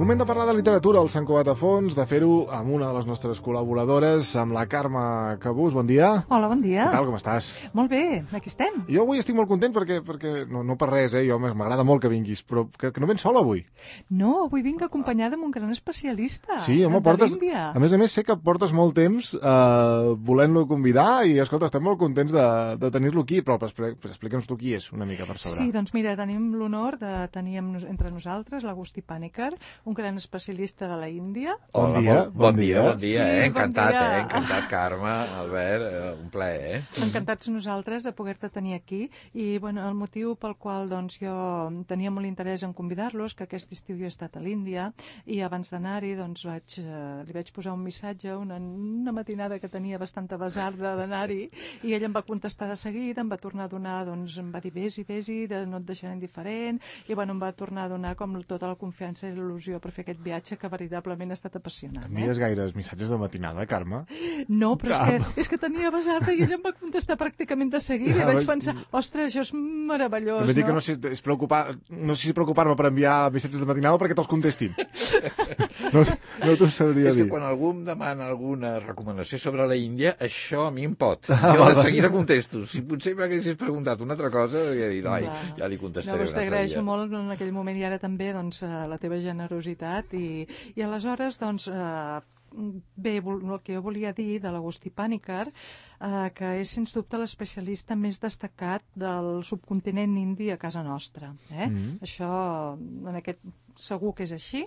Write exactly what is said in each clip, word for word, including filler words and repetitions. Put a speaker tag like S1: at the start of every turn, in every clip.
S1: Moment de parlar de literatura al Sant Cugat a Fons, de fer-ho amb una de les nostres col·laboradores, amb la Carme Cabús. Bon dia.
S2: Hola, bon dia.
S1: Què tal, com estàs?
S2: Molt bé, aquí estem.
S1: Jo avui estic molt content perquè, perquè no, no per res, eh? Jo m'agrada molt que vinguis, però que, que no vens sola avui.
S2: No, avui vinc acompanyada amb un gran especialista.
S1: Sí, home, portes... A més a més, sé que portes molt temps eh, volent-lo convidar i, escolta, estem molt contents de, de tenir-lo aquí, però explica'ns tu qui és, una mica per saber.
S2: Sí, doncs mira, tenim l'honor de tenir entre nosaltres l'Agustí Pàniker, un gran especialista de la Índia.
S1: Bon dia.
S3: Bon, bon dia, bon dia,
S2: sí,
S3: eh? Encantat,
S2: bon dia.
S3: eh? Encantat, Carme, Albert, eh, un plaer, eh?
S2: Encantats nosaltres de poder-te tenir aquí i, bueno, el motiu pel qual, doncs, jo tenia molt interès en convidar-los, que aquest estiu jo he estat a l'Índia i abans d'anar-hi, doncs, vaig, eh, li vaig posar un missatge, una, una matinada que tenia bastanta basarda d'anar-hi i ell em va contestar de seguida, em va tornar a donar, doncs, em va dir vés-hi, vés-hi, de no et deixaré indiferent i, bueno, em va tornar a donar com tota la confiança i l'il·lusió per fer aquest viatge que veritablement ha estat apassionant.
S1: Envies
S2: eh?
S1: gaires missatges de matinada, Carme?
S2: No, però és que, és que tenia basarda i ell em va contestar pràcticament de seguida i vaig pensar, ostres, això és meravellós,
S1: També dic
S2: no?
S1: que no sé, és preocupar, no sé si preocupar-me per enviar missatges de matinada perquè te'ls contestin. No, no t'ho sabria
S3: És
S1: dir.
S3: que quan algú em demana alguna recomanació sobre la Índia, això a mi em pot. Jo de seguida contesto. Si potser m'haguessis preguntat una altra cosa, hauria dit, ai, ja li contestaré
S2: no,
S3: un altre
S2: t'agraeixo
S3: dia.
S2: molt en aquell moment i ara també, doncs, la teva generositat i, i aleshores, doncs, eh, bé, el que jo volia dir de l'Agustí Pàniker, eh, que és sens dubte l'especialista més destacat del subcontinent indi a casa nostra. Eh? Mm-hmm. Això, en aquest segur que és així.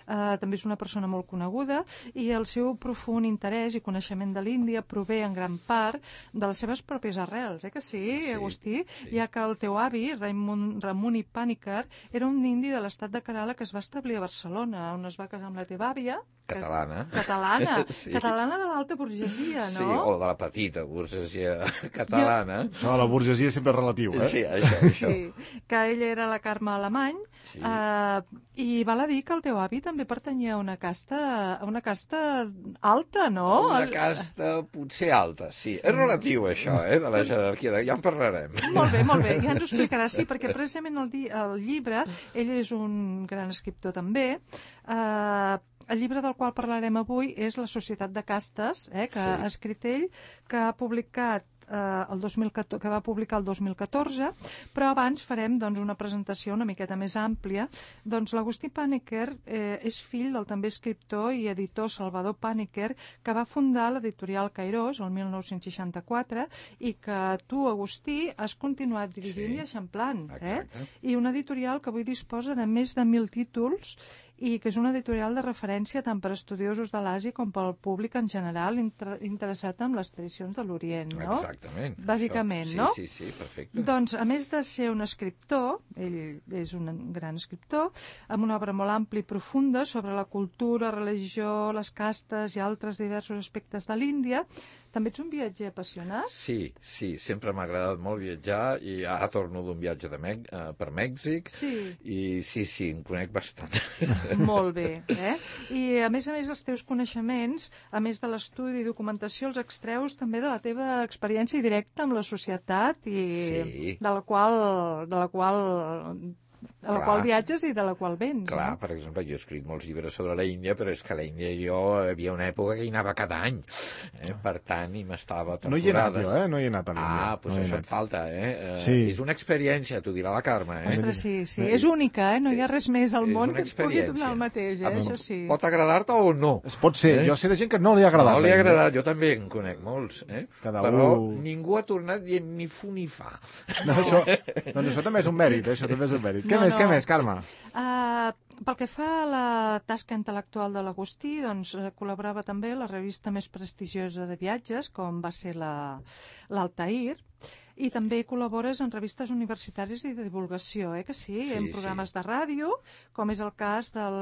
S2: Uh, també és una persona molt coneguda i el seu profund interès i coneixement de l'Índia prové en gran part de les seves pròpies arrels, eh que sí, sí Agustí? Sí. Ja que el teu avi, Raimon, Ramuni Pàniker, era un indi de l'estat de Kerala que es va establir a Barcelona, on es va casar amb la teva àvia.
S3: Catalana.
S2: És... Catalana.
S3: Sí.
S2: Catalana de l'alta burgesia, no?
S3: Sí, o de la petita burgesia catalana.
S1: Jo... Això de la burgesia sempre és relatiu, eh?
S3: Sí, això, això.
S2: Sí, que ella era la Carme Alemany, sí. uh, i val a dir que el teu avi també pertanyia a una casta, a una casta alta, no?
S3: Una casta potser alta, sí. És relatiu, això, eh, de la jerarquia. Ja en parlarem.
S2: Molt bé, molt bé. Ja ens ho explicarà, sí, perquè precisament el, di el llibre, ell és un gran escriptor també, eh, el llibre del qual parlarem avui és La societat de castes, eh, que sí. ha escrit ell, que ha publicat Eh, el dos mil catorze, que va publicar el dos mil catorze, però abans farem, doncs, una presentació una miqueta més àmplia. Doncs l'Agustí Pàniker eh, és fill del també escriptor i editor Salvador Pàniker, que va fundar l'editorial Cairós el mil nou-cents seixanta-quatre i que tu, Agustí, has continuat dirigint sí. i eixamplant. Eh? I una editorial que avui disposa de més de mil títols i que és una editorial de referència tant per estudiosos de l'Àsia com pel públic en general inter interessat en les tradicions de l'Orient, no?
S3: Exactament.
S2: Bàsicament,
S3: sí,
S2: no?
S3: Sí, sí, perfecte.
S2: Doncs, a més de ser un escriptor, ell és un gran escriptor, amb una obra molt àmplia i profunda sobre la cultura, religió, les castes i altres diversos aspectes de l'Índia, també ets un viatger apassionat?
S3: Sí, sí, sempre m'ha agradat molt viatjar i ara torno d'un viatge de Mèx uh, per Mèxic
S2: sí.
S3: i sí, sí, em conec bastant.
S2: Molt bé, eh? I a més a més els teus coneixements, a més de l'estudi i documentació, els extreus també de la teva experiència directa amb la societat i
S3: sí.
S2: de la qual, de la qual a la
S3: Clar.
S2: qual viatges i de la qual vens.
S3: Clar,
S2: no?
S3: per exemple, jo he escrit molts llibres sobre la Índia, però és que a la Índia jo hi havia una època que hi anava cada any, eh? Per tant, i m'estava temporades.
S1: No hi he anat jo, eh? No hi he anat a l'Índia.
S3: Ah, doncs
S1: no
S3: això et falta, eh? eh
S1: sí.
S3: És una experiència, t'ho dirà la Carme, eh?
S2: Ostres, sí, sí. És única, eh? No hi ha res més al món que et pugui donar el mateix, eh?
S3: Ah,
S2: això sí.
S3: Pot agradar-te o no?
S1: Es pot ser. Eh? Jo sé de gent que no li ha agradat.
S3: No li ha agradat, jo també en conec molts, eh?
S1: Cada
S3: però
S1: un...
S3: ningú ha tornat dient ni fu ni fa.
S1: No, això, doncs això també és un mèrit, eh? Això també és un mèrit. Què
S2: no,
S1: més,
S2: no.
S1: què més, Carme?
S2: Uh, pel que fa a la tasca intel·lectual de l'Agustí, doncs uh, col·laborava també a la revista més prestigiosa de viatges, com va ser l'Altair, i també col·labores en revistes universitàries i de divulgació, eh que sí? sí en programes sí. de ràdio, com és el cas del,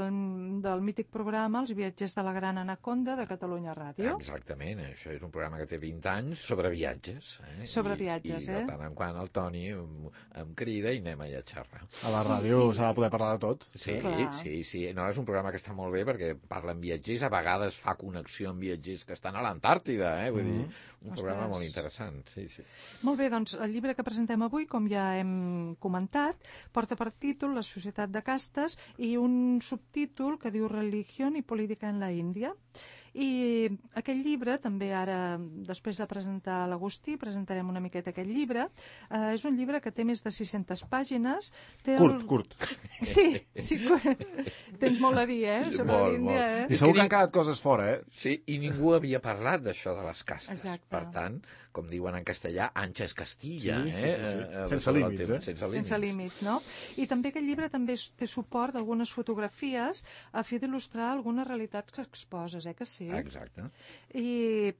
S2: del mític programa Els viatgers de la Gran Anaconda de Catalunya Ràdio.
S3: Exactament, això és un programa que té vint anys sobre viatges. Eh?
S2: Sobre
S3: I,
S2: viatges,
S3: i,
S2: eh?
S3: I de tant en quant el Toni em, em crida i anem allà a xerrar.
S1: A la ràdio s'ha de poder parlar de tot.
S3: Sí,
S2: Clar.
S3: sí, sí. No, és un programa que està molt bé perquè parla amb viatgers, a vegades fa connexió amb viatgers que estan a l'Antàrtida, eh? Vull mm. dir, un
S2: Ostres.
S3: programa molt interessant, sí, sí.
S2: Molt bé, doncs doncs, el llibre que presentem avui, com ja hem comentat, porta per títol La societat de castes i un subtítol que diu Religión y política en la Índia. I aquest llibre, també ara, després de presentar l'Agustí, presentarem una miqueta aquest llibre. Eh, és un llibre que té més de sis-centes pàgines. Té
S1: Curt,
S2: el...
S1: curt.
S2: Sí, sí, curt. Tens molt a dir, eh? Sobre
S3: Molt,
S2: l'Índia,
S3: molt.
S2: eh?
S1: I segur que han quedat coses fora, eh?
S3: Sí, i ningú havia parlat d'això de les castes.
S2: Exacte.
S3: Per tant, com diuen en castellà, ancha es Castilla.
S1: Sí, sí,
S3: eh?
S1: sí, sí.
S3: Eh,
S1: Sense límits,
S3: tema,
S1: eh?
S3: Sense límits.
S2: Sense límits, no? I també aquest llibre també té suport d'algunes fotografies a fi d'il·lustrar algunes realitats que exposes, eh que sí?
S3: Exacte.
S2: I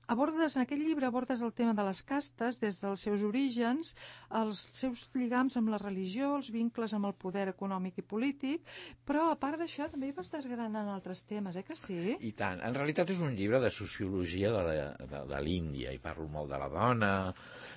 S2: abordes, en aquest llibre abordes el tema de les castes des dels seus orígens, els seus lligams amb la religió, els vincles amb el poder econòmic i polític, però a part d'això també hi vas desgranant altres temes, eh que sí?
S3: I tant. En realitat és un llibre de sociologia de, la, de, de l'Índia, i parlo molt de la dona,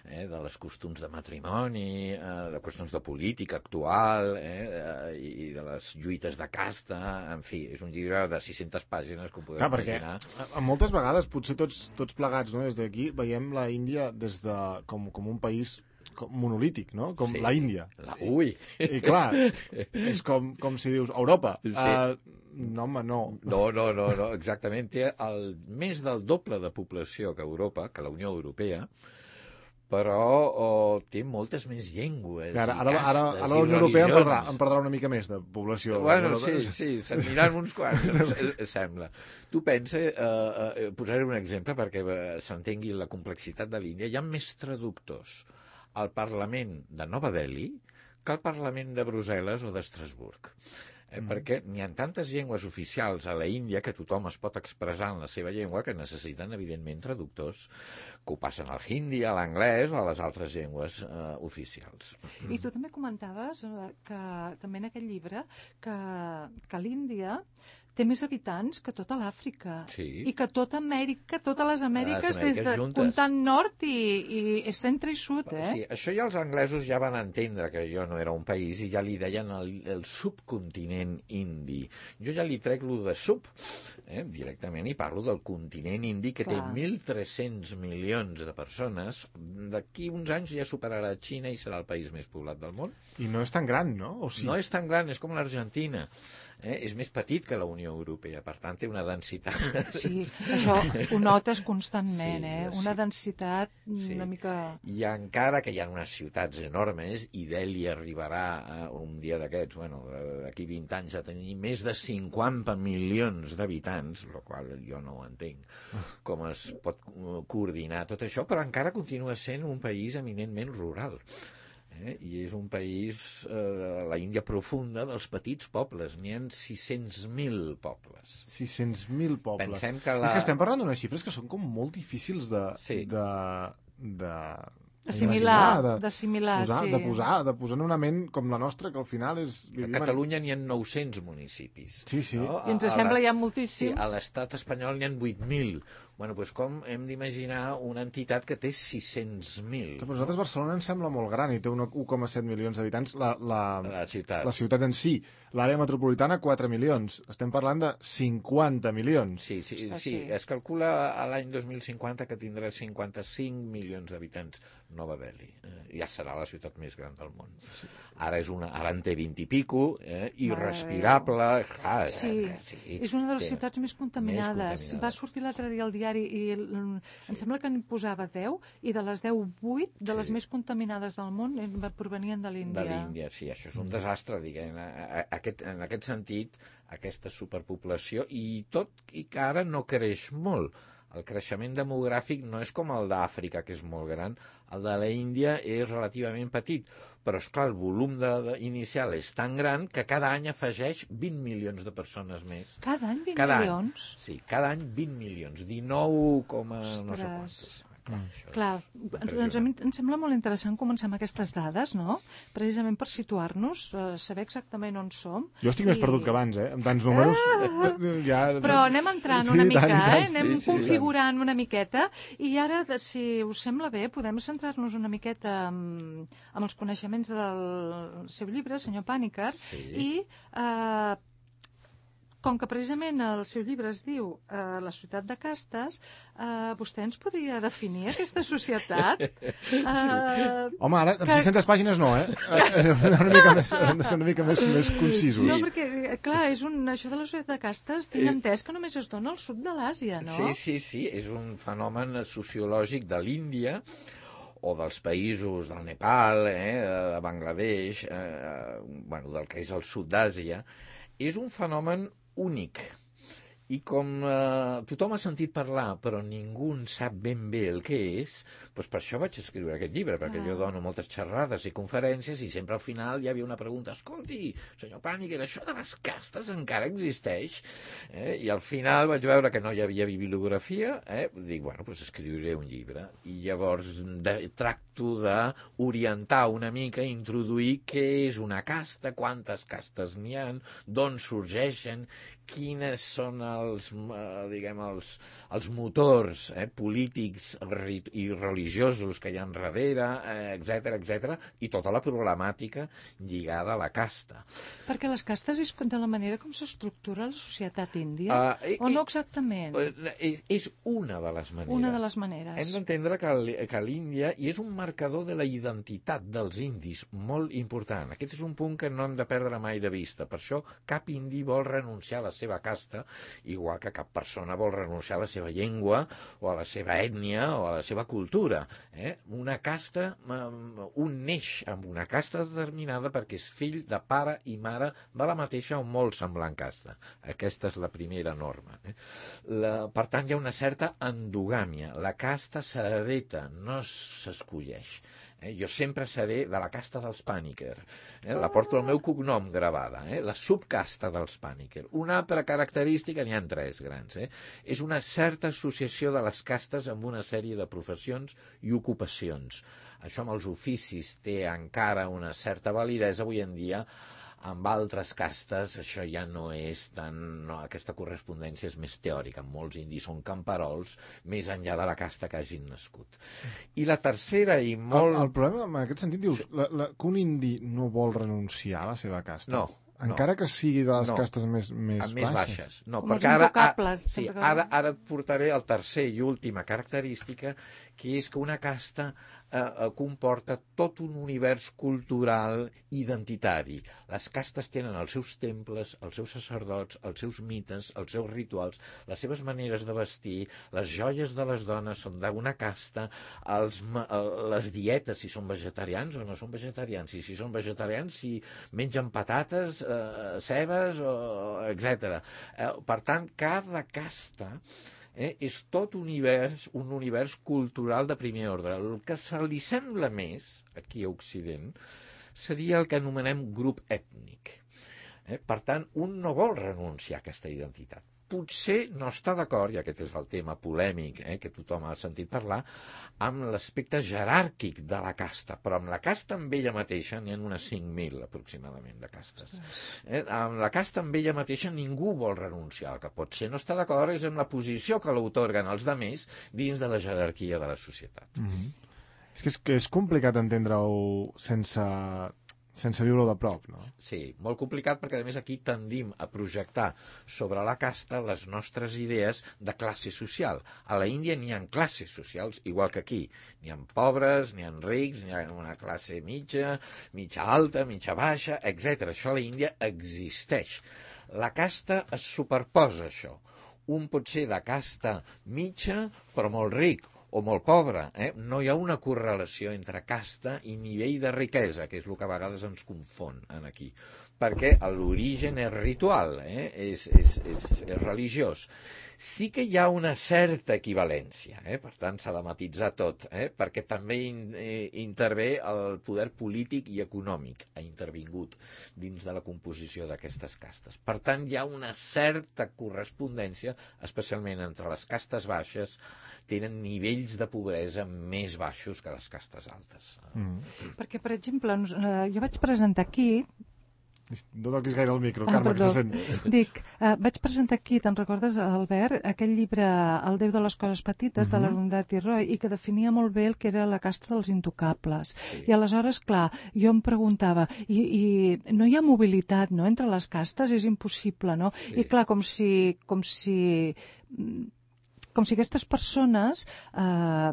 S3: eh, de les costums de matrimoni, eh, de qüestions de política actual, eh, i de les lluites de casta, en fi, és un llibre de sis-centes pàgines, com podeu
S1: Clar, perquè
S3: imaginar.
S1: a, a moltes vegades, potser tots, tots plegats, no? Des d'aquí veiem la Índia des de, com, com un país com monolític, no? Com
S3: Sí.
S1: la Índia.
S3: La, ui!
S1: I, I clar, és com, com si dius Europa.
S3: Sí.
S1: Uh, no, home, no.
S3: No, no, no, no, exactament. Té el, més del doble de població que Europa, que la Unió Europea, però oh, té moltes més llengües
S1: Ara,
S3: i
S1: ara,
S3: castes
S1: ara, ara
S3: i
S1: la Unió Europea en perdrà,
S3: religions.
S1: en perdrà una mica més de població.
S3: Bueno,
S1: Però-
S3: sí, sí, se'n miran uns quants, em, em sembla. Tu pensa, eh, eh, posaré un exemple perquè eh, s'entengui la complexitat de l'Índia. Hi ha més traductors al Parlament de Nova Delhi que al Parlament de Brussel·les o d'Estrasburg. Eh, mm. Perquè n'hi ha tantes llengües oficials a la Índia que tothom es pot expressar en la seva llengua que necessiten, evidentment, traductors que ho passen al hindi, a l'anglès o a les altres llengües eh, oficials.
S2: I tu també comentaves eh, que també en aquest llibre que, que l'Índia té més habitants que tota l'Àfrica.
S3: Sí.
S2: I que tota Amèrica, totes les Amèriques,
S3: Les Amèriques
S2: des de
S3: juntes.
S2: comptant nord i, i centre i sud, eh?
S3: Sí, això ja els anglesos ja van entendre que jo no era un país i ja li deien el, el subcontinent indi. Jo ja li trec lo de sub, eh, directament, i parlo del continent indi que
S2: Clar.
S3: té mil tres-cents milions de persones. D'aquí uns anys ja superarà Xina i serà el país més poblat del món.
S1: I no és tan gran, no? O sí?
S3: No és tan gran, és com l'Argentina. Eh? És més petit que la Unió Europea, per tant té una densitat.
S2: Sí, això ho notes constantment,
S3: Sí,
S2: eh?
S3: sí.
S2: Una densitat
S3: Sí.
S2: una mica...
S3: I encara que hi ha unes ciutats enormes, i Delhi arribarà a un dia d'aquests, bueno, d'aquí vint anys a tenir més de cinquanta milions d'habitants, el qual jo no ho entenc, com es pot coordinar tot això, però encara continua sent un país eminentment rural. Eh? I és un país, eh, la Índia profunda, dels petits pobles. N'hi ha sis-cents mil pobles.
S1: sis-cents mil pobles.
S3: Pensem que la...
S1: És que estem parlant d'unes xifres que són com molt difícils de...
S3: Sí.
S1: de, de
S2: Assimilar,
S1: de,
S2: d'assimilar,
S1: posar,
S2: sí.
S1: de posar, de posar en una ment com la nostra, que al final és...
S3: A
S1: vivim en-
S3: Catalunya n'hi ha nou-cents municipis.
S1: Sí, sí.
S3: No?
S2: I ens
S3: A- a
S2: sembla
S3: la-
S2: ja
S3: Sí,
S2: moltíssims.
S3: a l'estat espanyol n'hi ha vuit mil. Bueno, doncs com hem d'imaginar una entitat que té sis-cents mil?
S1: Però a nosaltres Barcelona ens sembla molt gran i té un u coma set milions d'habitants. La, la,
S3: La ciutat.
S1: la ciutat en si. L'àrea metropolitana, quatre milions. Estem parlant de cinquanta milions.
S3: Sí, sí,
S2: Ostres,
S3: sí,
S2: sí.
S3: es calcula a l'any dos mil cinquanta que tindrà cinquanta-cinc milions d'habitants Nova Delhi. Eh, ja serà la ciutat més gran del món. Sí. Ara és una, ara en té vint i pico, eh, irrespirable. Clar,
S2: Sí,
S3: eh, sí,
S2: és una de les
S3: té-
S2: ciutats més contaminades.
S3: més contaminades.
S2: Va sortir l'altre dia al diari i mm, em sembla que n'hi posava deu i de les deu, vuit de les
S3: Sí.
S2: més contaminades del món eh, provenien de l'Índia.
S3: De l'Índia, sí, això és un desastre, diguem, a- a- aquest, en aquest sentit, aquesta superpoblació, i tot i que ara no creix molt. El creixement demogràfic no és com el d'Àfrica, que és molt gran, el de la Índia és relativament petit, però, esclar, el volum de, de, inicial és tan gran que cada any afegeix vint milions de persones més.
S2: Cada any vint
S3: Cada
S2: milions?
S3: Any, sí, cada any vint milions, dinou, no sé
S2: Ostres.
S3: quantos. Clar, això és
S2: Clar, ens, doncs a mi em sembla molt interessant començar amb aquestes dades, no? Precisament per situar-nos, eh, saber exactament on som.
S1: Jo estic més
S2: I-
S1: perdut que abans, eh? Amb tants números... Ah! Ja...
S2: Però anem entrant
S1: Sí,
S2: una
S1: tant,
S2: mica,
S1: i tant.
S2: eh? Anem
S3: Sí, sí,
S2: configurant una miqueta i ara, de- si us sembla bé, podem centrar-nos una miqueta amb, amb els coneixements del seu llibre, senyor Pàniker,
S3: Sí.
S2: i eh, com que precisament el seu llibre es diu eh, La societat de castes, eh, vostè ens podria definir aquesta societat? Eh,
S1: Home, ara, amb
S2: que...
S1: sis-centes pàgines no, eh? Una mica més, hem de ser una mica més, més concisos.
S2: No, perquè, clar, és un, això de la societat de castes, tinc entès que només es dona al sud de l'Àsia, no?
S3: Sí, sí, sí, és un fenomen sociològic de l'Índia, o dels països del Nepal, eh, de Bangladesh, eh, bueno, del que és el sud d'Àsia, és un fenomen únic. I com eh, tothom ha sentit parlar, però ningú en sap ben bé el que és, doncs per això vaig escriure aquest llibre, perquè ah. jo dono moltes xerrades i conferències i sempre al final hi havia una pregunta: escolti, senyor Pàniker, això de les castes encara existeix? Eh? I al final vaig veure que no hi havia bibliografia, eh? Dic, bueno, doncs escriuré un llibre. I llavors de, tracto d'orientar una mica, introduir què és una casta, quantes castes n'hi ha, d'on sorgeixen, quines són els, eh, diguem, els, els motors eh, polítics i religiosos que hi ha darrere, eh, etcètera, etcètera, i tota la problemàtica lligada a la casta.
S2: Perquè les castes és de la manera com s'estructura la societat índia? Uh, o no exactament?
S3: És, és una de les maneres.
S2: Una de les maneres.
S3: Hem d'entendre que, que l'Índia i és un marcador de la identitat dels indis molt important. Aquest és un punt que no hem de perdre mai de vista. Per això cap indi vol renunciar a la seva casta, igual que cap persona vol renunciar a la seva llengua o a la seva ètnia o a la seva cultura. Eh? Una casta, un neix amb una casta determinada perquè és fill de pare i mare de la mateixa o molt semblant casta. Aquesta és la primera norma. Eh? La, per tant, hi ha una certa endogàmia. La casta s'hereta, no s'escolleix. Eh, jo sempre seré de la casta dels Pàniker. Eh, la porto el meu cognom gravada. Eh, la subcasta dels Pàniker. Una altra característica, n'hi ha tres grans, eh, és una certa associació de les castes amb una sèrie de professions i ocupacions. Això amb els oficis té encara una certa validesa avui en dia. Amb altres castes això ja no és tan... No, aquesta correspondència és més teòrica. Molts indis són camperols més enllà de la casta que hagin nascut. I la tercera i molt...
S1: El, el problema, en aquest sentit, dius la, la, que un indi no vol renunciar a la seva casta.
S3: No.
S1: Encara
S3: no.
S1: que sigui de les
S3: no.
S1: castes més, més,
S3: més
S1: baixes.
S3: baixes. No,
S2: com
S3: perquè ara, ara,
S2: sí,
S3: ara, ara et portaré el tercer i última característica, que és que una casta eh, comporta tot un univers cultural identitari. Les castes tenen els seus temples, els seus sacerdots, els seus mites, els seus rituals, les seves maneres de vestir, les joies de les dones són d'una casta, els, les dietes, si són vegetarians o no són vegetarians, i si són vegetarians, si mengen patates, eh, cebes, etcètera. Eh, per tant, cada casta Eh, és tot univers, un univers cultural de primer ordre. El que se li sembla més, aquí a Occident, seria el que anomenem grup ètnic. Eh, per tant, un no vol renunciar a aquesta identitat. Potser no està d'acord, i aquest és el tema polèmic eh, que tothom ha sentit parlar, amb l'aspecte jeràrquic de la casta, però amb la casta amb ella mateixa n'hi ha unes cinc mil aproximadament de castes. Eh, amb la casta amb ella mateixa ningú vol renunciar. El que potser no està d'acord és amb la posició que l'autorguen els demés dins de la jerarquia de la societat.
S1: Mm-hmm. És que és, que és complicat entendre-ho sense... sense viure-ho de prop, no?
S3: Sí, molt complicat perquè, a més, aquí tendim a projectar sobre la casta les nostres idees de classe social. A la Índia n'hi ha classes socials, igual que aquí. N'hi ha pobres, n'hi ha rics, n'hi ha una classe mitja, mitja alta, mitja baixa, etcètera. Això a la Índia existeix. La casta es superposa, això. Un pot ser de casta mitja, però molt ric, o molt pobre, eh? No hi ha una correlació entre casta i nivell de riquesa, que és el que a vegades ens confon aquí, perquè l'origen és ritual, eh? és, és, és, és religiós. Sí que hi ha una certa equivalència, eh? Per tant s'ha de matitzar tot, eh? Perquè també in, eh, intervé el poder polític i econòmic, ha intervingut dins de la composició d'aquestes castes. Per tant, hi ha una certa correspondència, especialment entre les castes baixes, tenen nivells de pobresa més baixos que les castes altes.
S2: Mm. Perquè, per exemple, jo vaig presentar aquí
S1: No toquis gaire el micro,
S2: Ah,
S1: Carme, que
S2: perdó.
S1: se sent.
S2: Dic, eh, vaig presentar aquí, te'n recordes, Albert, aquell llibre El Déu de les coses petites, de l'Arundhati Roy, i que definia molt bé el que era la casta dels intocables.
S3: Sí.
S2: I aleshores, clar, jo em preguntava, i, i no hi ha mobilitat, no?, entre les castes, és impossible, no?
S3: Sí.
S2: I clar, com si... Com si com si aquestes persones eh,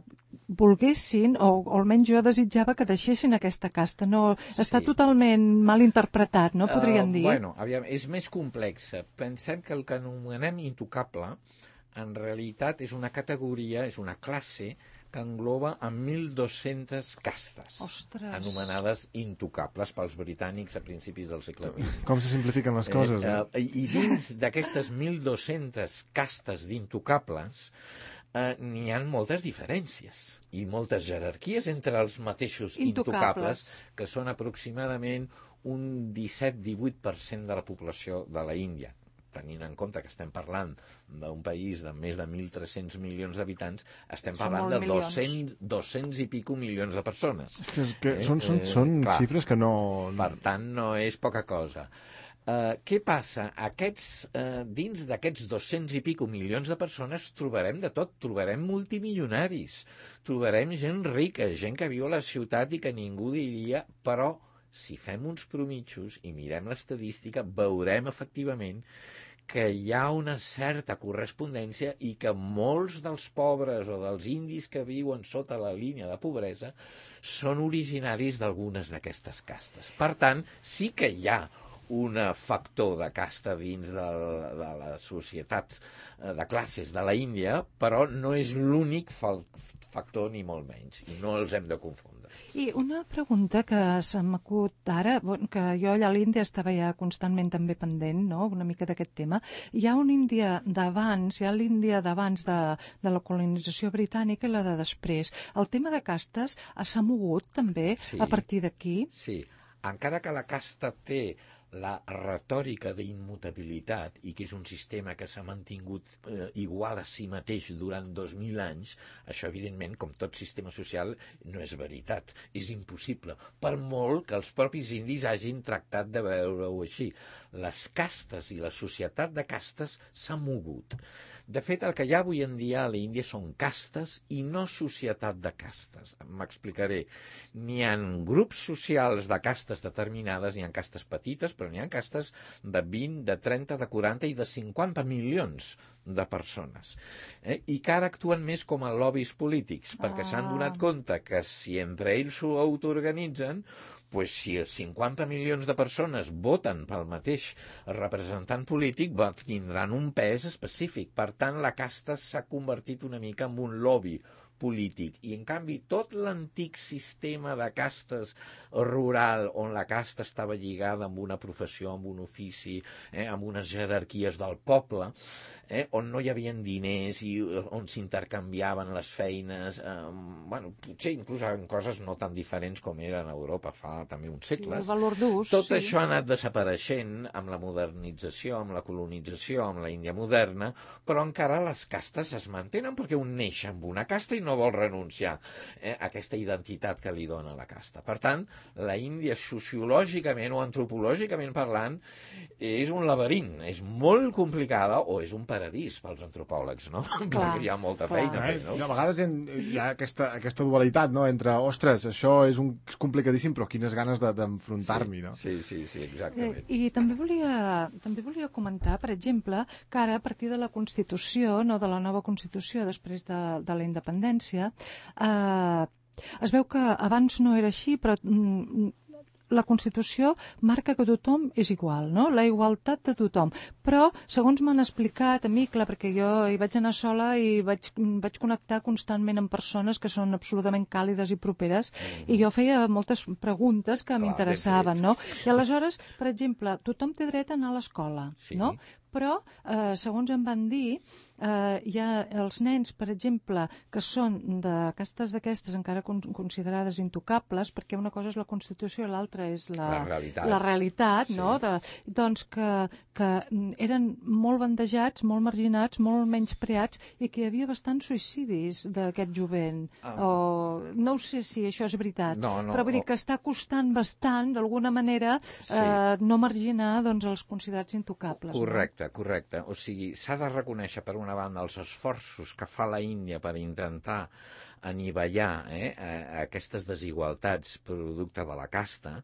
S2: volguessin, o, o almenys jo desitjava que deixessin aquesta casta. No,
S3: Sí.
S2: està totalment mal interpretat, no podríem
S3: Uh,
S2: dir?
S3: Bueno, aviam, és més complex. Pensem que el que anomenem intocable en realitat és una categoria, és una classe que engloba a mil dos-centes castes,
S2: Ostres.
S3: anomenades intocables pels britànics a principis del segle vint.
S1: Com se simplifiquen les coses,
S3: Eh,
S1: eh?
S3: eh, I dins d'aquestes mil dos-centes castes d'intocables eh, n'hi ha moltes diferències i moltes jerarquies entre els mateixos intocables,
S2: Intocables.
S3: que són aproximadament un disset divuit per cent de la població de la Índia. Tenint en compte que estem parlant d'un país de més de mil tres-cents milions d'habitants, estem
S2: Són
S3: parlant
S2: molts
S3: de
S2: milions.
S3: doscents, doscents i pico milions de persones.
S1: És que, és que
S3: Eh,
S1: són, són,
S3: eh,
S1: són
S3: clar.
S1: xifres que no...
S3: Per tant, no és poca cosa. Uh, què passa? Aquests, uh, dins d'aquests dos-cents i pico milions de persones trobarem de tot. Trobarem multimilionaris, trobarem gent rica, gent que viu a la ciutat i que ningú diria, però si fem uns promitjos i mirem l'estadística, veurem efectivament que hi ha una certa correspondència i que molts dels pobres o dels indis que viuen sota la línia de pobresa són originaris d'algunes d'aquestes castes. Per tant, sí que hi ha un factor de casta dins de, de la societat de classes de la Índia, però no és l'únic factor ni molt menys, i no els hem de confondre.
S2: I una pregunta que se m'acut ara, bon, que jo allà a l'Índia estava ja constantment també pendent, no?, una mica d'aquest tema. Hi ha una Índia d'abans, hi ha l'Índia d'abans de, de la colonització britànica i la de després. El tema de castes s'ha mogut també
S3: Sí.
S2: a partir d'aquí?
S3: Sí, encara que la casta té la retòrica d'immutabilitat i que és un sistema que s'ha mantingut eh, igual a si mateix durant dos mil anys, això evidentment, com tot sistema social, no és veritat, és impossible, per molt que els propis indis hagin tractat de veure-ho així. Les castes i la societat de castes s'ha mogut. De fet, el que hi ha avui en dia a l'Índia són castes i no societat de castes. M'explicaré. N'hi ha grups socials de castes determinades, n'hi ha castes petites, però n'hi ha castes de vint, de trenta, de quaranta i de cinquanta milions de persones. Eh? I que ara actuen més com a lobbies polítics, perquè
S2: Ah.
S3: s'han donat compte que si entre ells s'ho autoorganitzen, pues si cinquanta milions de persones voten pel mateix representant polític, tindran un pes específic. Per tant, la casta s'ha convertit una mica en un lobby polític. I, en canvi, tot l'antic sistema de castes rural, on la casta estava lligada amb una professió, amb un ofici, eh, amb unes jerarquies del poble, eh, on no hi havia diners i on s'intercanviaven les feines, eh, bueno, potser inclús en coses no tan diferents com eren a Europa fa també uns segles.
S2: Sí, el valor d'ús.
S3: Tot
S2: sí.
S3: això ha anat desapareixent amb la modernització, amb la colonització, amb la Índia moderna, però encara les castes es mantenen perquè un neix amb una casta i no vol renunciar eh, a aquesta identitat que li dona la casta. Per tant, la Índia sociològicament o antropològicament parlant és un laberint, és molt complicada o és un paradís pels antropòlegs, no?
S2: Clar,
S3: Perquè hi ha molta
S2: clar.
S3: feina a fer,
S1: Eh?
S3: no?
S1: I a vegades hi ha, hi ha aquesta, aquesta dualitat, no?, entre, ostres, això és, un, és complicadíssim, però quines ganes de- d'enfrontar-m'hi, no?
S3: Sí, sí, sí,
S2: Eh,
S3: exactament.
S2: I també volia, també volia comentar, per exemple, que ara, a partir de la Constitució, no, de la nova Constitució, després de, de la independència, eh, es veu que abans no era així, però mm, la Constitució marca que tothom és igual, no? La igualtat de tothom. Però, segons m'han explicat a mi, clar, perquè jo hi vaig anar sola i vaig, vaig connectar constantment amb persones que són absolutament càlides i properes, mm-hmm. i jo feia moltes preguntes que
S3: Clar,
S2: m'interessaven,
S3: ben
S2: no? I aleshores, per exemple, tothom té dret a anar a l'escola,
S3: Sí.
S2: no? Però, eh, segons em van dir, eh, hi ha els nens, per exemple, que són de castes d'aquestes encara con considerades intocables, perquè una cosa és la Constitució i l'altra és la,
S3: la realitat,
S2: la realitat
S3: sí.
S2: no? De, doncs que, que eren molt bandejats, molt marginats, molt menyspreats i que hi havia bastants suïcidis d'aquest jovent.
S3: Ah.
S2: O, no sé si això és veritat,
S3: no, no,
S2: però vull dir que està costant bastant, d'alguna manera, sí. eh, no marginar doncs, els considerats intocables.
S3: Correcte,
S2: no?
S3: correcte. O sigui, s'ha de reconèixer, per una banda, els esforços que fa la Índia per intentar anivellar eh, aquestes desigualtats producte de la casta,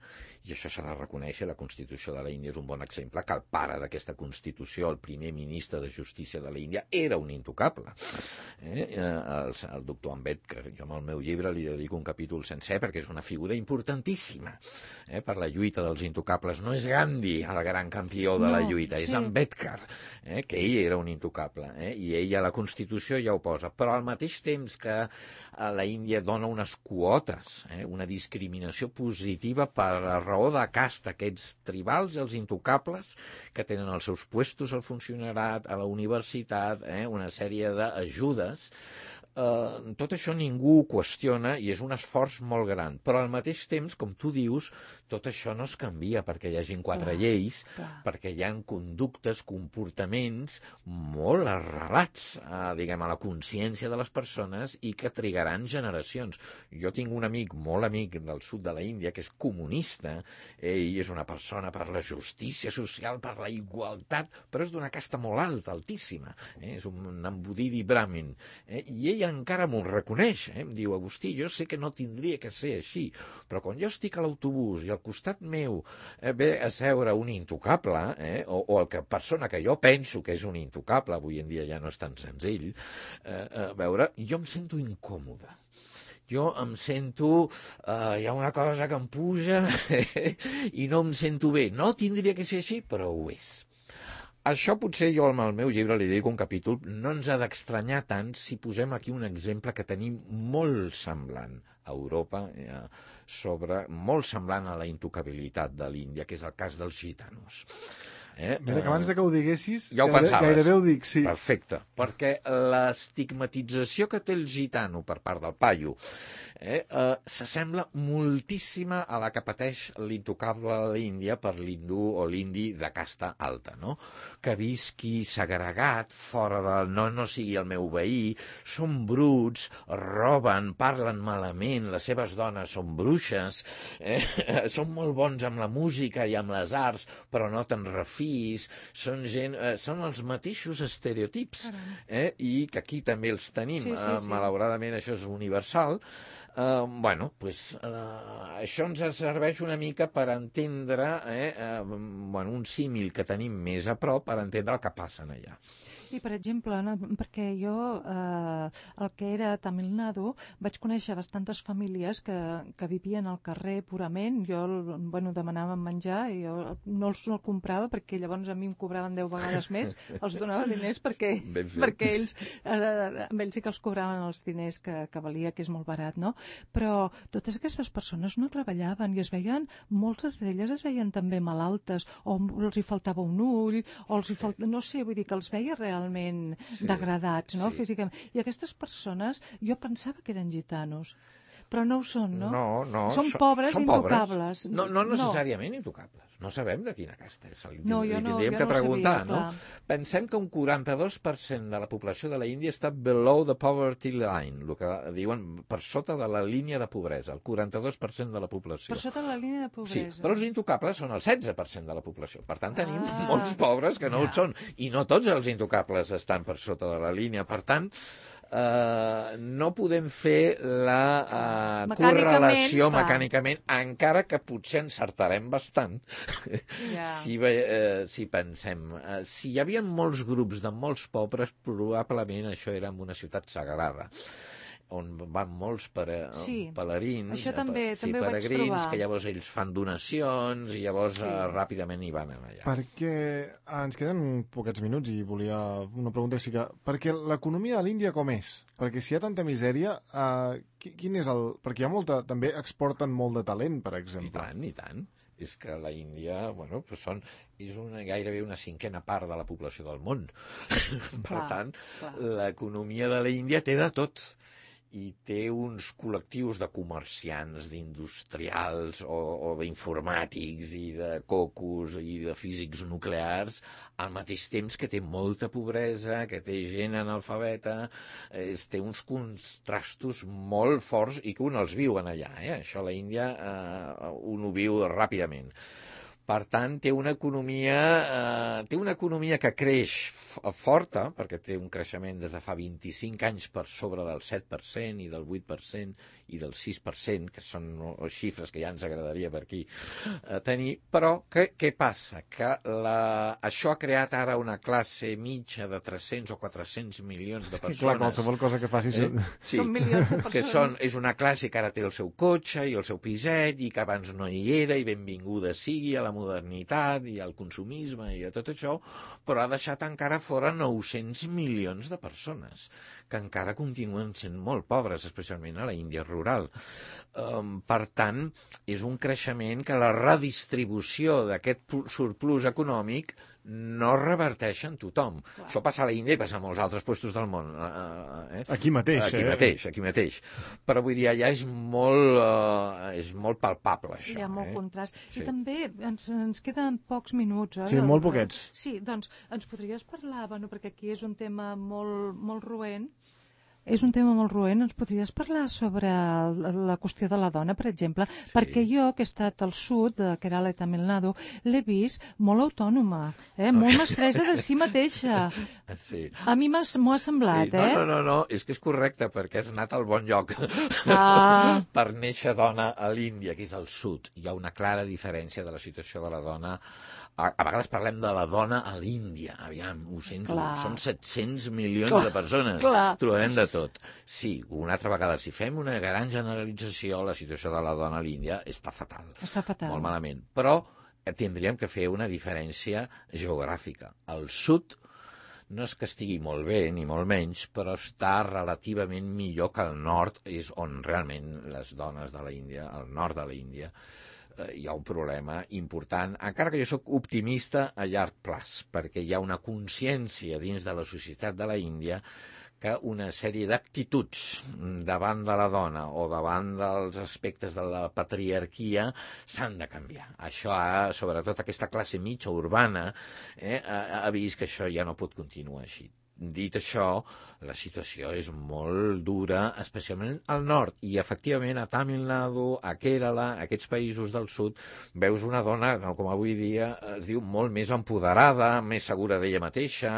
S3: i això s'ha de reconèixer. La Constitució de la Índia és un bon exemple, que el pare d'aquesta Constitució, el primer ministre de Justícia de la Índia, era un intocable. Eh? El, el doctor Ambedkar, jo amb el meu llibre li dedico un capítol sencer perquè és una figura importantíssima eh, per la lluita dels intocables. No és Gandhi el gran campió de no, la lluita, sí. És Ambedkar, eh, que ell era un intocable, eh, i ell a la Constitució ja ho posa, però al mateix temps que la Índia dona unes quotes, eh, una discriminació positiva per raó de casta, aquests tribals i els intocables que tenen els seus puestos al funcionariat, a la universitat, eh, una sèrie d'ajudes. Uh, tot això ningú ho qüestiona i és un esforç molt gran, però al mateix temps, com tu dius, tot això no es canvia perquè hi hagin quatre clar, lleis, clar. Perquè hi ha conductes, comportaments molt arrelats a, diguem, a la consciència de les persones i que trigaran generacions. Jo tinc un amic, molt amic del sud de la Índia, que és comunista, ell és una persona per la justícia social, per la igualtat, però és d'una casta molt alta, altíssima, eh? És un embudidi brahmin, eh? I ell encara m'ho reconeix, eh? Em diu, Agustí, jo sé que no tindria que ser així, però quan jo estic a l'autobús i al costat meu eh, ve a seure un intocable, eh? o, o el que, persona que jo penso que és un intocable, avui en dia ja no és tan senzill, eh, a veure, jo em sento incòmode. Jo em sento, eh, hi ha una cosa que em puja i no em sento bé. No tindria que ser així, però ho és. Això potser jo amb el meu llibre li dic un capítol, no ens ha d'estranyar tant si posem aquí un exemple que tenim molt semblant a Europa, eh, sobre, molt semblant a la intocabilitat de l'Índia, que és el cas dels gitanos. Eh?
S1: Mira, que abans de que ho diguessis,
S3: ja ho
S1: gairebé,
S3: pensaves.
S1: Gairebé ho dic, sí.
S3: Perfecte, perquè l'estigmatització que té el gitano per part del paio eh, eh, s'assembla moltíssima a la que pateix l'intocable a l'Índia per l'hindú o l'indi de casta alta, no? Que visqui segregat, fora del... No, no sigui el meu veí, són bruts, roben, parlen malament, les seves dones són bruixes, eh, són molt bons amb la música i amb les arts, però no te'n refis, són gent... Eh, són els mateixos estereotips, eh, i que aquí també els tenim. Sí, sí, sí. Eh, malauradament això és universal. Uh, bueno, pues, uh, això ens serveix una mica per entendre eh, uh, bueno, un símil que tenim més a prop per entendre el que passa allà.
S2: I, per exemple, no, perquè jo, eh, el que era Tamil Nadu, vaig conèixer bastantes famílies que, que vivien al carrer purament. Jo, bueno, demanàvem menjar i jo no els no el comprava perquè llavors a mi em cobraven deu vegades més. Els donava diners perquè, perquè ells, eh, amb ells sí que els cobraven els diners que, que valia, que és molt barat, no? Però totes aquestes persones no treballaven i es veien, moltes d'elles es veien també malaltes, o els hi faltava un ull, o els hi faltava, no sé, vull dir que els veia realment realment sí, degradats, no? Sí. Físicament. I aquestes persones, jo pensava que eren gitanos, però no ho són, no?
S3: No, no.
S2: Són pobres i intocables.
S3: No, no necessàriament no. intocables. No sabem de quina casta és.
S2: No, jo no,
S3: tindríem
S2: jo
S3: que
S2: no
S3: preguntar,
S2: sabia,
S3: no? Pensem que un quaranta-dos per cent de la població de la Índia està below the poverty line, el que diuen per sota de la línia de pobresa, el quaranta-dos per cent de la població.
S2: Per sota de la línia de pobresa.
S3: Sí, però els intocables són el setze per cent de la població. Per tant, tenim ah, molts pobres que no ja. ho són. I no tots els intocables estan per sota de la línia. Per tant, Uh, no podem fer la uh,
S2: mecànicament,
S3: correlació
S2: clar.
S3: mecànicament, encara que potser encertarem bastant yeah. si, uh, si pensem. Uh, si hi havia molts grups de molts pobres, probablement això era en una ciutat sagrada, on van molts pere,
S2: sí.
S3: pelerins,
S2: això també,
S3: sí,
S2: també ho vaig
S3: peregrins,
S2: trobar.
S3: Que llavors ells fan donacions i llavors sí. uh, ràpidament hi van allà.
S1: Perquè ah, ens queden poquets minuts i volia una pregunta sí que... Perquè l'economia de l'Índia com és? Perquè si hi ha tanta misèria, uh, quin és el... Perquè hi ha molta... També exporten molt de talent, per exemple.
S3: I tant, i tant. és que la Índia, bueno, pues són, és una, gairebé una cinquena part de la població del món. Per
S2: clar,
S3: tant,
S2: clar.
S3: l'economia de la Índia té de tot. I té uns col·lectius de comerciants, d'industrials o, o d'informàtics i de cocos i de físics nuclears, al mateix temps que té molta pobresa, que té gent analfabeta, eh, té uns contrastos molt forts i que un els viu en allà. Eh? Això a la Índia eh, un ho viu ràpidament. Per tant, té una economia, eh, té una economia que creix forta, perquè té un creixement des de fa vint-i-cinc anys per sobre del set per cent i del vuit per cent i del sis per cent, que són xifres que ja ens agradaria per aquí eh, tenir, però què, què passa? Que la, això ha creat ara una classe mitja de tres-cents o quatre-cents milions de persones.
S1: Clar, qualsevol cosa que faci
S3: eh? sí,
S2: són milions de persones.
S3: Que són, és una classe que ara té el seu cotxe i el seu piset i que abans no hi era i benvinguda sigui a la modernitat i al consumisme i a tot això, però ha deixat encara fora nou-cents milions de persones que encara continuen sent molt pobres, especialment a la Índia rural. Um, per tant, és un creixement que la redistribució d'aquest surplus econòmic no reverteix en tothom. Clar. Això passa a la Índia i passa a molts altres llocs del món. Eh?
S1: Aquí mateix,
S3: aquí
S1: eh?
S3: mateix, aquí mateix. Però vull dir, allà és molt, uh, és molt palpable, això.
S2: Hi ha molt
S3: eh?
S2: contrast.
S3: Sí.
S2: I també ens, ens queden pocs minuts, oi?
S1: Sí, molt poquets.
S2: Sí, doncs ens podries parlar, bueno, perquè aquí és un tema molt, molt roent, és un tema molt roent, ens podries parlar sobre la qüestió de la dona, per exemple, sí. Perquè jo, que he estat al sud, de Kerala i Tamil Nadu, l'he vist molt autònoma, eh? Molt mestressa de si mateixa.
S3: Sí.
S2: A mi m'ho ha semblat,
S3: sí. no,
S2: eh?
S3: No, no, no, és que és correcte, perquè has anat al bon lloc.
S2: Ah.
S3: Per néixer dona a l'Índia, que és al sud. Hi ha una clara diferència de la situació de la dona. A, a vegades parlem de la dona a l'Índia. Aviam, ho sento,
S2: Clar.
S3: Són set-cents milions
S2: Clar.
S3: de persones.
S2: Clar.
S3: Trobarem de tot. Sí, una altra vegada, si fem una gran generalització, la situació de la dona a l'Índia està fatal.
S2: Està fatal.
S3: Molt malament. Però tindríem que fer una diferència geogràfica. Al sud no és que estigui molt bé, ni molt menys, però està relativament millor que al nord, és on realment les dones de l'Índia, al nord de l'Índia, eh, hi ha un problema important, encara que jo sóc optimista a llarg plaç, perquè hi ha una consciència dins de la societat de la Índia que una sèrie d'actituds davant de la dona o davant dels aspectes de la patriarquia s'han de canviar. Això ha, sobretot aquesta classe mitja urbana, eh, ha, ha vist que això ja no pot continuar així. Dit això, la situació és molt dura, especialment al nord, i efectivament a Tamil Nadu, a Kerala, a aquests països del sud, veus una dona, com avui dia es diu, molt més empoderada, més segura d'ella mateixa,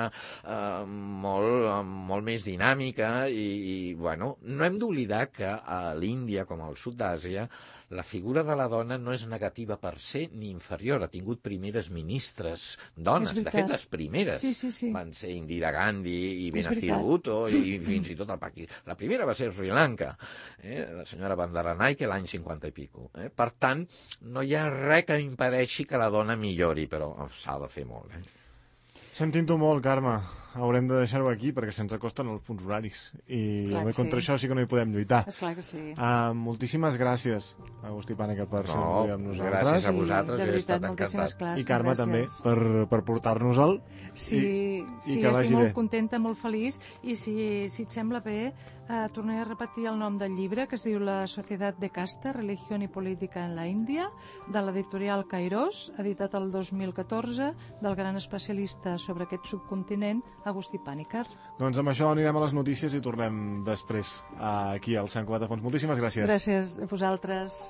S3: eh, molt, molt més dinàmica, i, i bueno, no hem d'oblidar que a l'Índia, com al sud d'Àsia, la figura de la dona no és negativa per ser ni inferior. Ha tingut primeres ministres dones, de fet les primeres
S2: sí, sí, sí.
S3: van ser Indira Gandhi i Benazir Bhutto i fins i tot el Pakistan. La primera va ser Sri Lanka, eh? La senyora Bandaranaike l'any cinquanta i pico. Eh? Per tant, no hi ha res que impedeixi que la dona millori, però s'ha de fer molt. Eh?
S1: Sentint-ho molt, Carme. Haurem de deixar-ho aquí perquè se'ns acosten els punts horaris i
S2: Esclar
S1: contra
S2: sí.
S1: això sí que no hi podem lluitar.
S2: Esclar que sí.
S1: Uh, moltíssimes gràcies, Agustí Pànica, per ser
S3: no,
S1: avui amb nosaltres.
S3: Gràcies a vosaltres,
S2: sí,
S3: jo he
S2: veritat,
S3: estat encantat.
S2: Gràcies,
S1: I Carme
S2: gràcies.
S1: també, per, per portar-nos-el.
S2: Sí,
S1: i,
S2: sí
S1: i que
S2: estic molt
S1: bé.
S2: contenta, molt feliç, i si, si et sembla bé, eh, tornaré a repetir el nom del llibre, que es diu La Societat de Casta, Religión y Política en la Índia, de l'editorial Kairos, editat el dos mil catorze, del gran especialista sobre aquest subcontinent, Agustí Pàniker.
S1: Doncs amb això anirem a les notícies i tornem després aquí al Sant Cugat de Fons. Moltíssimes gràcies.
S2: Gràcies a vosaltres.